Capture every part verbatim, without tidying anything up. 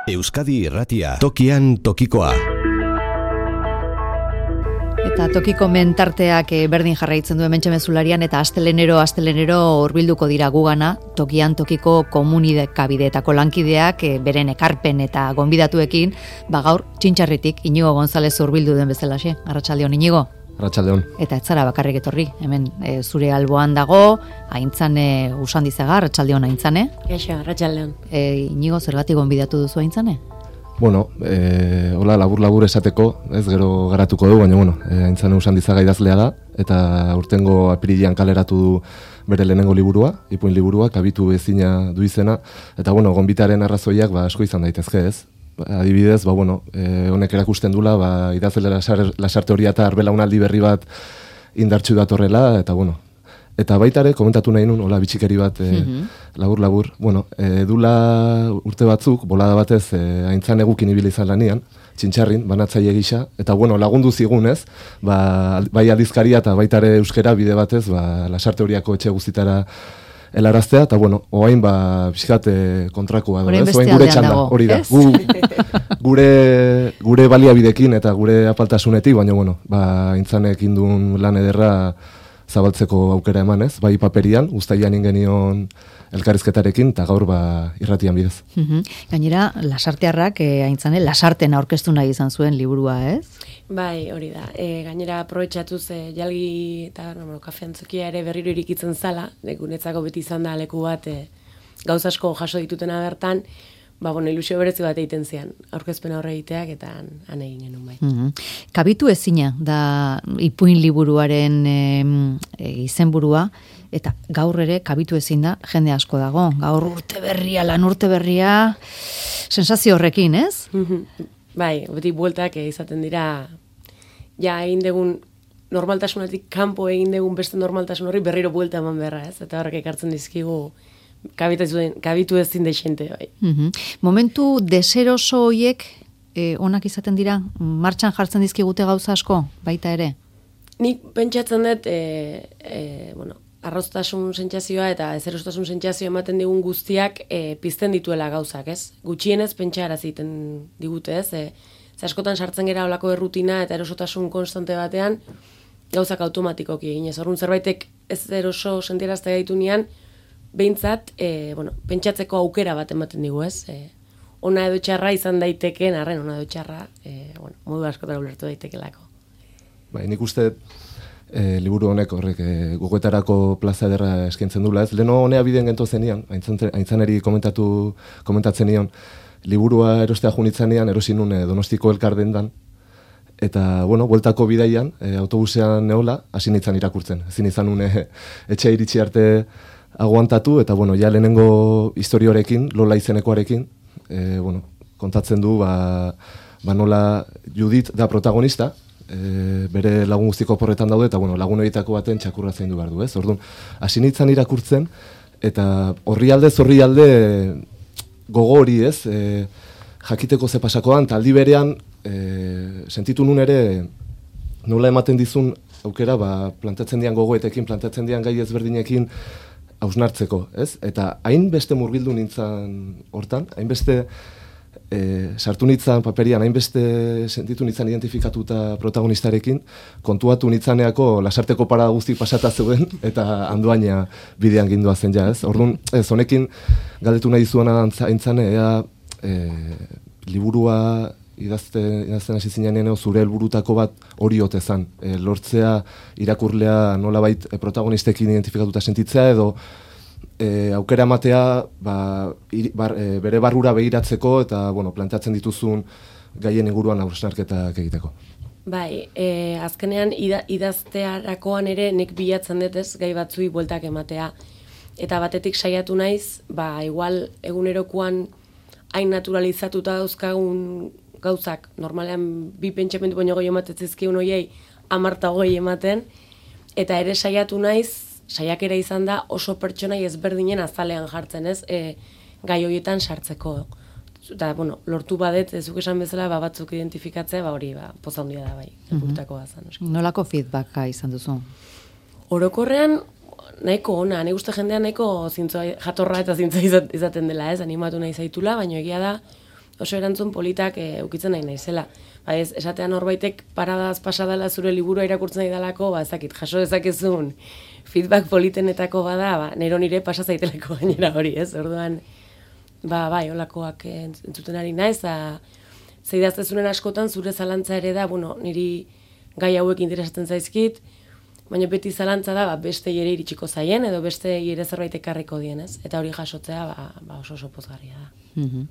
Euskadi Irratia, tokian tokikoa. Eta tokiko mentarteak berdin jarraitzen du hementxe mezularian eta astelenero astelenero hurbilduko dira gugana, tokian tokiko komunikabideetako lankideak beren ekarpen eta gonbidatuekin, ba gaur Txintxarritik Inigo González hurbildu den bezalaxe. Arratsaldeon Inigo. Arratsaldeon. Eta ez zara bakarrik etorri, hemen e, zure alboan dago, Aintzane Usandizaga, arratsaldeon Aintzane. Kaixo, arratsaldeon. E, Inigo, zergatik gonbidatu duzu Aintzane? Bueno, eh, hola labur-labur esateko, ez gero garatuko du, baina bueno, eh, Aintzane Usandizaga idazlea da, eta urtengo apirilean kaleratu du bere lehenengo liburua, ipuin liburua, kabitu ezina du izena, eta bueno, gonbitaren arrazoiak ba, asko izan daitezke ez. Adibidez, ba, bueno, eh, honek erakusten dula, ba, idazle lasar, lasarte hori eta arbelaunaldi berri bat indartsu datorrela, eta bueno, eta baita ere, komentatu nahi nun, hola, bitxikeri bat, e, labur-labur, bueno, e, dula urte batzuk, bolada batez, e, Aintzane gukin ibili izan lanian, Txintxarrin, banatzaile gisa, eta bueno, lagundu zigunez, ba, bai aldizkaria eta baita ere euskera bide batez, ba, lasarte horiako etxe guztitara helaraztea, eta bueno, oain ba, pixkat kontrakoa, orain ez? Oain gure txanda, hori da. Gu, gure, gure baliabidekin eta gure apaltasunetik, baina bueno, ba, Aintzanek indun lan ederra zabaltzeko aukera emanez, bai paperian, uztailan ingenion elkarrizketarekin, eta gaur ba, irratian bidez. Uhum. Gainera, lasartearrak, e, Aintzane, lasarten aurkeztu nahi izan zuen liburua, ez? Bai, hori da. E, gainera, aprobetxatuz e, jalgi eta no, kafeantzokia ere berriro irikitzen zala, gunetzako beti izan da leku bat e, gauz asko jaso ditutena bertan, ba, bueno, ilusio berezi bat egiten zian, aurkezpen aurre egiteak eta han, han egin genuen bai. Mm-hmm. Kabitu ezina da ipuin liburuaren e, e, izenburua, eta gaur ere kabitu ezin da jende asko dago. Gaur urte berria, lan urte berria, sensazio horrekin, ez? Mm-hmm. Bai, beti bueltak izaten dira, ja egin degun normaltasunetik kanpo egin degun beste normaltasun horri berriro buelta eman beharra, ez? Eta horrek ekartzen dizkigu kabitu ezin deixente, bai. Mm-hmm. Momentu deseroso hoiek eh, onak izaten dira, martxan jartzen dizkigute gauza asko, baita ere? Nik pentsatzen dut, e, e, bueno, arroztasun sentsazioa eta ezerostasun sentsazioa ematen digun guztiak e, pizten dituela gauzak, ez? Gutxienez pentsara egiten digute, ez? E, ze askotan sartzen gera olako errutina eta erosotasun konstante batean, gauzak automatikoki egin ez. Orrun zerbaitek ez eroso sentiarazte gaitu nian, behintzat, e, bueno, pentsatzeko aukera bat ematen digu, ez? E, ona edo txarra izan daitekeen, arren ona edo txarra, e, bueno, modu askotara ulertu daitekelako. Bai, nik uste e, liburu honek horrek e, gogoetarako plaza ederra eskaintzen dula, ez? Leno honea biden gento zenian, Aintzaneri komentatu, komentatzen nion, liburua erostea junitzanean, erosin nun e, Donostiko elkardendan, eta, bueno, bueltako bidaian, e, autobusean neola, hasi nintzen irakurtzen. Ezin izan nun e, etxe iritsi arte aguantatu, eta, bueno, ja lehenengo historiorekin, Lola izenekoarekin, e, bueno, kontatzen du, ba, ba nola Judit da protagonista, e, bere lagun guztiko porretan daude, eta, bueno, lagun horietako baten txakurra zein du behar du, ez? Orduan, hasi nintzen irakurtzen, eta horri alde, zorri alde, gogo hori, ez? E, jakiteko ze pasakoan, taldi berean, e, sentitu nun ere, nola ematen dizun aukera, ba, plantatzen dian gogoetekin, plantatzen dian gai ezberdinekin, hausnartzeko, ez? Eta hainbeste murgildu nintzen hortan, hainbeste e, sartu nintzen paperian, hainbeste sentitu nintzen identifikatuta protagonistarekin, kontuatu nintzaneako lasarteko parada guzti pasata zeuden, eta handoaina bidean gindua zen ja, ez? Orduan, ez, honekin galdetu nahi zuena Aintzane, ea e, liburua idazten, idazten hasi zinean zure helburutako bat hori ote zan. E, lortzea irakurlea nolabait e, protagonistekin identifikatuta sentitzea edo e, aukera ematea ba, ir, bar, e, bere barrura begiratzeko eta bueno, planteatzen dituzun gaien inguruan hausnarketak egiteko. Bai, e, azkenean ida, idaztearakoan ere nek bilatzen dut ez gai batzui bueltak ematea. Eta batetik saiatu naiz, ba igual egunerokoan hain naturalizatuta dauzkagun gauzak, normalean bi pentsamendu baino goi ematen zizkiun hoiei hamarta hogei ematen, eta ere saiatu naiz, saiakera izan da oso pertsonai ezberdinen azalean jartzen, ez? E, gai horietan sartzeko. Eta, bueno, lortu badet, ezuk esan bezala, ba, batzuk identifikatzea, ba hori, ba, poza handia da bai, helburutako bazan. Nolako feedbacka izan duzu? Orokorrean, nahiko ona, nahi uste jendean nahiko zintzoa, jatorra eta zintzoa izaten dela, ez? Animatu nahi zaitula, baina egia da, oso erantzun politak e, ukitzen nahi naizela. Ba ez, esatean norbaitek paradaz pasadala zure liburua irakurtzen nahi dalako, ba ezakit, jaso dezakezun feedback politenetako bada, ba, nero nire pasa zaiteleko gainera hori, ez? Orduan, ba, bai, holakoak entzuten ari naiz, da, zeidaztezunen askotan zure zalantza ere da, bueno, niri gai hauek interesatzen zaizkit, baina beti zalantza da, ba, beste ere iritsiko zaien, edo beste ere zerbait ekarriko dien, ez? Eta hori jasotzea, ba, ba oso oso pozgarria da. Mhm.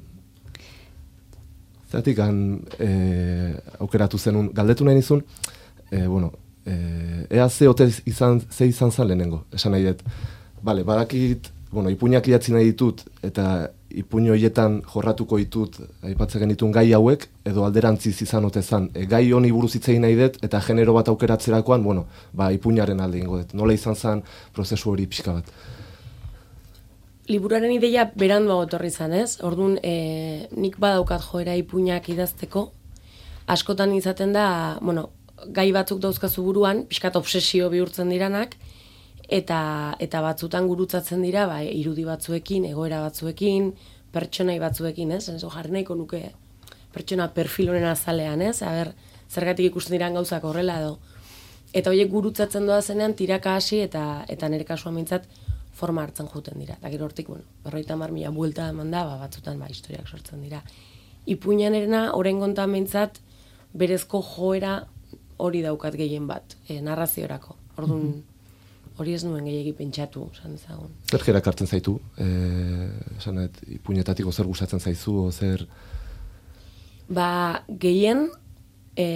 Zeratik, e, aukeratu zenun, galdetu nahi nizun, e, bueno, e, ea ze ote izan, ze izan zan lehenengo, esan nahi dut. Bale, badakit, bueno, ipuinak idatzi nahi ditut, eta ipuin horietan jorratuko ditut, aipatzen genitun gai hauek, edo alderantziz izan ote zan. E, gai honi buruz hitz egin nahi dut, eta genero bat aukeratzerakoan, bueno, ba, ipuinaren alde ingo dut. Nola izan zan prozesu hori pixka bat? Liburuaren ideia beranduago etorri izan, ez? Orduan, e, nik badaukat joera ipuinak idazteko, askotan izaten da, bueno, gai batzuk dauzkazu buruan, pixkat obsesio bihurtzen diranak, eta eta batzutan gurutzatzen dira, ba, irudi batzuekin, egoera batzuekin, pertsonai batzuekin, ez? Enzo jarri nahiko nuke pertsona perfil honen azalean, ez? Aber, zergatik ikusten diran gauzak horrela edo. Eta horiek gurutzatzen doa zenean tiraka hasi eta eta nire kasuan mintzat forma hartzen juten dira. Eta gero hortik, bueno, berroita hamar mila buelta eman da, ba, batzutan ba, historiak sortzen dira. Ipuinan erena, oraingontan mintzat, berezko joera hori daukat gehien bat, e, narraziorako. Orduan, hori ez nuen gehiegi pentsatu, esan ezagun. Zer jerak hartzen zaitu? E, esan et, ipuinetatiko zer gustatzen zaizu, o zer... Ba, gehien, e,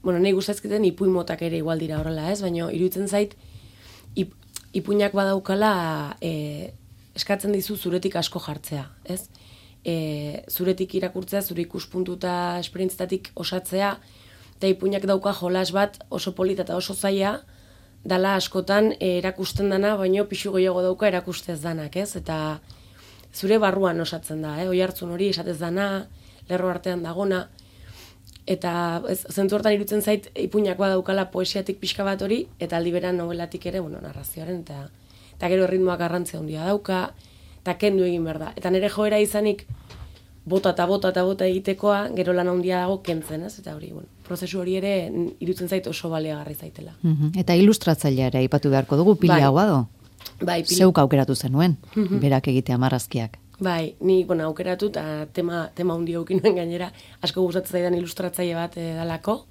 bueno, nahi gustazketen ipuin motak ere igual dira horrela, ez? Baina, iruditzen zait, ip, ipuinak badaukala e, eskatzen dizu zuretik asko jartzea, ez? E, zuretik irakurtzea, zure ikuspuntu eta esperientzetatik osatzea, eta ipuinak dauka jolas bat oso polita eta oso zaila, dala askotan e, erakusten dana, baino pixu gehiago dauka erakustez danak, ez? Eta zure barruan osatzen da, eh? Oi hartzun hori esatez dana, lerro artean dagona, eta zentzu hortan irutzen zait ipuinak badaukala poesiatik pixka bat hori, eta aldi beran novelatik ere, bueno, narrazioaren, eta, eta gero erritmoak garrantzia handia dauka, eta kendu egin behar da. Eta nire joera izanik bota eta bota eta bota egitekoa, gero lan handia dago kentzen, ez? Eta hori, bueno, prozesu hori ere irutzen zait oso baliagarri zaitela. Mhm. Eta ilustratzailea ere aipatu beharko dugu, Piliagoa do? Bai, pili... Zeuk aukeratu zenuen, berak egitea marrazkiak. Bai, ni, bueno, aukeratu eta tema, tema hundi aukinuen gainera, asko gustatzen zaidan ilustratzaile bat e, dalako,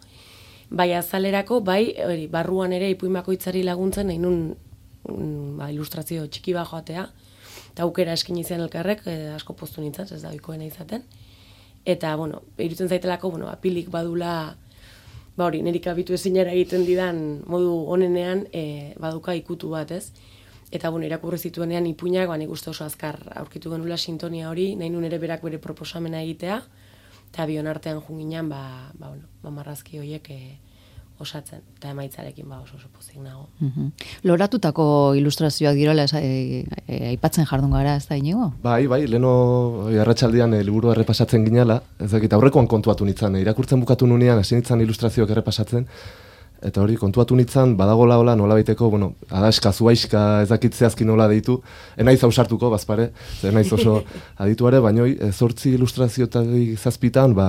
bai azalerako, bai, hori, barruan ere ipuin bakoitzari laguntzen, nahi nun mm, ba, ilustrazio txiki bat joatea, eta aukera eskin izan elkarrek, e, asko postu nintzen, ez da oikoena izaten, eta, bueno, irutzen zaitelako, bueno, apilik badula, ba hori, nerik abitu ezinera egiten didan modu honenean, e, baduka ikutu bat, ez? Eta bueno, irakurri zituenean ipuinak, ba, nik uste oso azkar aurkitu genula sintonia hori, nahi nun ere berak bere proposamena egitea, eta bion artean junginan, ba, ba, bueno, ba, marrazki horiek e, osatzen, eta emaitzarekin ba, oso oso pozik nago. Mhm. Loratutako ilustrazioak direla e, e, aipatzen jardun gara, ez da inigo? Bai, bai, leno arratsaldean e, liburu errepasatzen ginala, ez dakit aurrekoan kontuatu nitzan, e, irakurtzen bukatu nunean, hasi nitzan ilustrazioak errepasatzen, eta hori, kontuatu nitzan, badagola hola nola baiteko, bueno, adaska, zuaiska, ez dakit zehazki nola deitu, enaiz ausartuko, bazpare, enaiz oso adituare, baina zortzi ilustrazioetatik zazpitan, ba,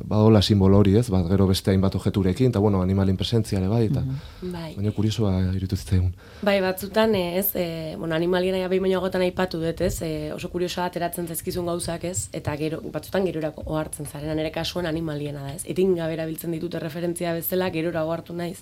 badola simbolo hori, ez, ba, gero beste hainbat objeturekin, eta bueno, animalin presentziale bai, eta mm-hmm. bai. Baina kuriosoa irutu zitzaigun. Bai, batzutan, ez, e, bueno, animalien aia behin baino gotan aipatu dut, ez, e, oso kuriosoa ateratzen zaizkizun gauzak, ez, eta gero, batzutan gerorako ohartzen zaren, nire kasuan animaliena da, ez, etingabe erabiltzen ditut referentzia bezala, gerora ohartu naiz.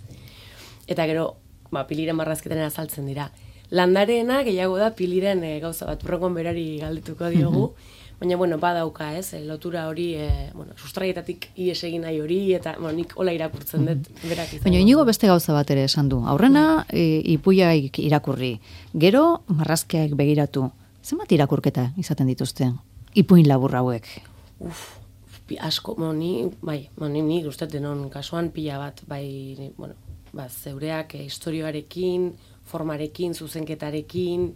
Eta gero, ba, piliren marrazketan azaltzen dira. Landareena gehiago da piliren e, gauza bat, urrengoan berari galdetuko diogu, mm-hmm. baina, bueno, badauka, ez, e, lotura hori, e, bueno, sustraietatik ies egin nahi hori, eta, bueno, nik hola irakurtzen dut, mm-hmm. berak izan. Baina, inigo beste gauza bat ere esan du. Aurrena, e, ipuiak irakurri. Gero, marrazkiak begiratu. Zenbat irakurketa izaten dituzte? Ipuin labur hauek. Uf, asko, moni, bai, moni, ni uste denon kasuan pila bat, bai, bueno, ba, zeureak e, historioarekin, formarekin, zuzenketarekin,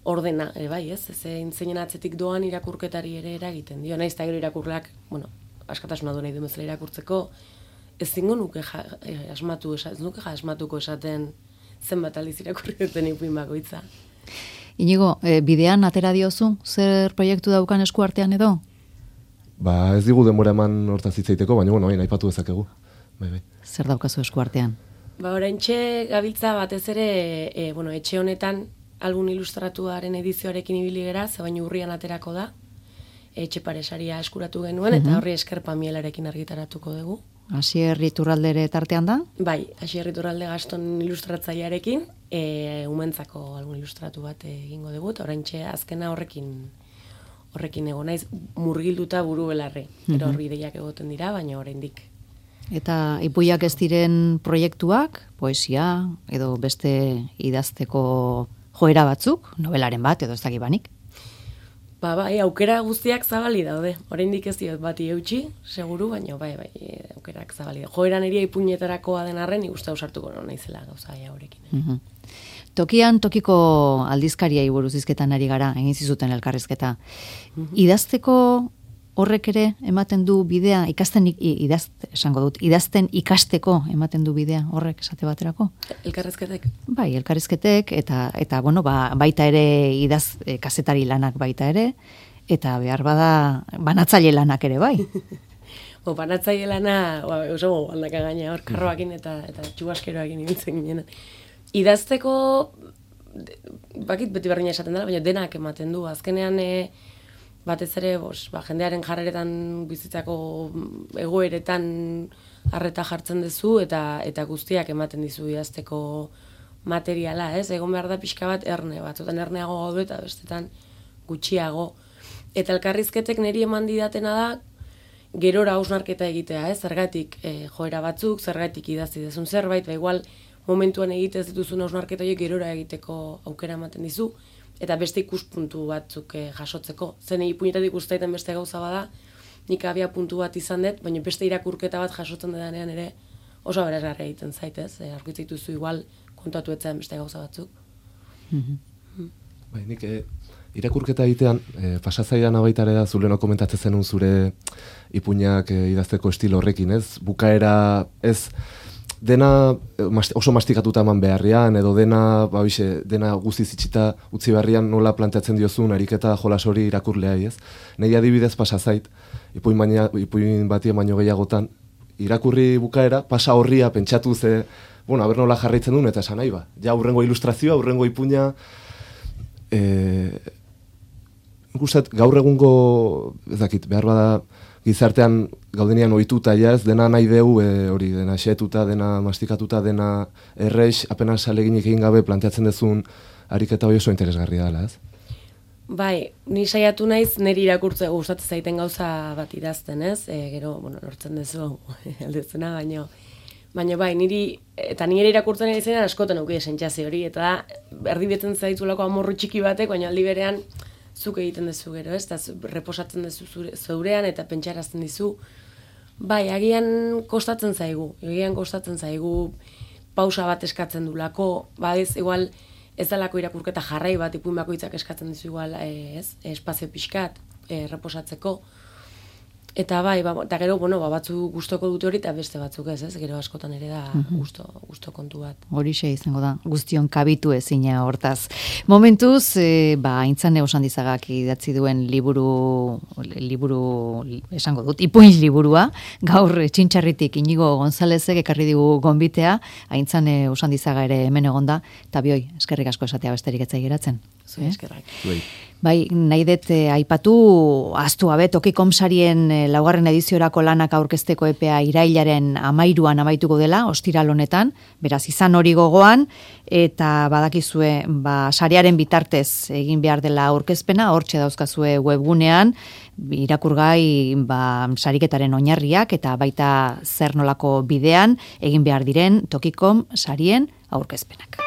ordena, e, bai, ez, zein zeinen atzetik doan irakurketari ere eragiten dio, naiz eta gero irakurleak, bueno, askatasuna du nahi du bezala irakurtzeko, ez zingo nuke ja, e, asmatu, ez nuke ja asmatuko esaten zenbat aldiz irakurri duten ipuin bakoitza. Inigo, e, bidean atera diozu, zer proiektu daukan esku artean edo? ba ez digu denbora eman hortaz hitz egiteko, baina bueno, hain aipatu dezakegu. Bai, bai. Zer daukazu esku artean? Ba, oraintxe gabiltza batez ere, e, bueno, etxe honetan album ilustratuaren edizioarekin ibili gera, ze baino urrian aterako da. Etxe paresaria eskuratu genuen, eta horri esker Pamielarekin argitaratuko dugu. Asier Iturralde tartean da? Bai, Asier Iturralde Gaston ilustratzailearekin, e, umentzako album ilustratu bat egingo dugu, eta oraintxe azkena horrekin horrekin egon naiz murgilduta buru belarri. Gero horri ideiak egoten dira, baina oraindik. Eta ipuiak ez diren proiektuak, poesia, edo beste idazteko joera batzuk, novelaren bat, edo ez dakibanik? Ba, bai, aukera guztiak zabali daude. Oraindik ez diot bati eutxi, seguru, baina bai, bai, aukerak zabali daude. Joera niri ipuinetarakoa den arren, ikuste ausartuko non naizela gauza horrekin. Uh-huh. Tokian tokiko aldizkariai buruz hizketan ari gara, egin zizuten elkarrizketa. Uh-huh. Idazteko horrek ere ematen du bidea, ikasten idaz, esango dut, idazten ikasteko ematen du bidea horrek esate baterako? Elkarrizketek? Bai, elkarrizketek, eta, eta bueno, ba, baita ere idaz e, kazetari lanak baita ere, eta behar bada banatzaile lanak ere bai. Bo, banatzaile lana, ba, oso aldaka gaina, hor karroakin eta, eta txubaskeroakin ibiltzen ginen. Idazteko, bakit beti berdina esaten dela, baina denak ematen du. Azkenean, e, batez ere, bos, ba, jendearen jarreretan bizitzako egoeretan harreta jartzen duzu, eta eta guztiak ematen dizu idazteko materiala, ez? Egon behar da pixka bat erne, batzutan erneago gaudu eta bestetan gutxiago. Eta elkarrizketek niri eman didatena da, gerora hausnarketa egitea, ez? Zergatik e, joera batzuk, zergatik idazi dezun zerbait, ba igual momentuan egitez dituzun hausnarketa horiek gerora egiteko aukera ematen dizu, eta beste ikuspuntu batzuk eh, jasotzeko. Zen ipuinetatik ustaiten beste gauza bada, nik abia puntu bat izan dut, baina beste irakurketa bat jasotzen dedanean ere oso aberasgarria egiten zaitez. E, aurkitzen dituzu igual kontatu etzen beste gauza batzuk. Mm-hmm. Bai, nik eh, irakurketa egitean, eh, pasazaidan abaitare da zuleno komentatzen zenun zure ipuinak eh, idazteko estilo horrekin, ez? Bukaera, ez... dena oso mastikatuta eman beharrian, edo dena, ba, bixe, dena guztiz itxita utzi beharrian nola planteatzen diozun ariketa jolas hori irakurleai, ez? Nei adibidez pasa zait, ipuin, baina, ipuin batien baino gehiagotan, irakurri bukaera, pasa horria pentsatu ze, bueno, aber nola jarraitzen duen, eta esan nahi ba. Ja, aurrengo ilustrazioa, aurrengo ipuina, e, gustat, gaur egungo, ez dakit, behar bada, gizartean gaudenian ohituta ja ez, dena nahi deu, e, hori, dena xetuta, dena mastikatuta, dena errex, apenas aleginik egin gabe planteatzen dezun ariketa hori oso interesgarria dela, ez? Bai, ni saiatu naiz niri irakurtze gustatzen zaiten gauza bat idazten, ez? E, gero, bueno, lortzen dezu aldezena, baino baina bai, niri, eta nire irakurtzen ari zenean askotan auki sentsazio hori, eta erdibetzen zaitulako amorru txiki batek, baina aldi berean zuk egiten duzu gero, ez? Eta reposatzen duzu zeurean eta pentsarazten dizu. Bai, agian kostatzen zaigu, agian kostatzen zaigu pausa bat eskatzen dulako, ba ez, igual ez dalako irakurketa jarrai bat, ipuin bakoitzak eskatzen dizu igual, ez? Espazio pixkat, e, reposatzeko. Eta bai, ba, eta gero, bueno, ba, batzu gustoko dute hori eta beste batzuk ez, ez? Gero askotan ere da gusto, gusto kontu bat. Horixe izango da, guztion kabitu ezina hortaz. Momentuz, e, ba, Aintzane Osandizagak idatzi duen liburu, liburu, esango dut, ipuin liburua, gaur Txintxarritik Inigo Gonzalezek ekarri digu gonbitea, Aintzane Osandizaga ere hemen egonda, eta bioi, eskerrik asko esatea besterik etzai geratzen. Zuen eskerrak. Bai, nahi dut eh, aipatu, aztu gabe, Tokikom sarien eh, laugarren ediziorako lanak aurkezteko epea irailaren amairuan amaituko dela, ostiral honetan, beraz izan hori gogoan, eta badakizue, ba, sarearen bitartez egin behar dela aurkezpena, hortxe dauzkazue webgunean, irakurgai ba, sariketaren oinarriak, eta baita zer nolako bidean egin behar diren Tokikom sarien aurkezpenak.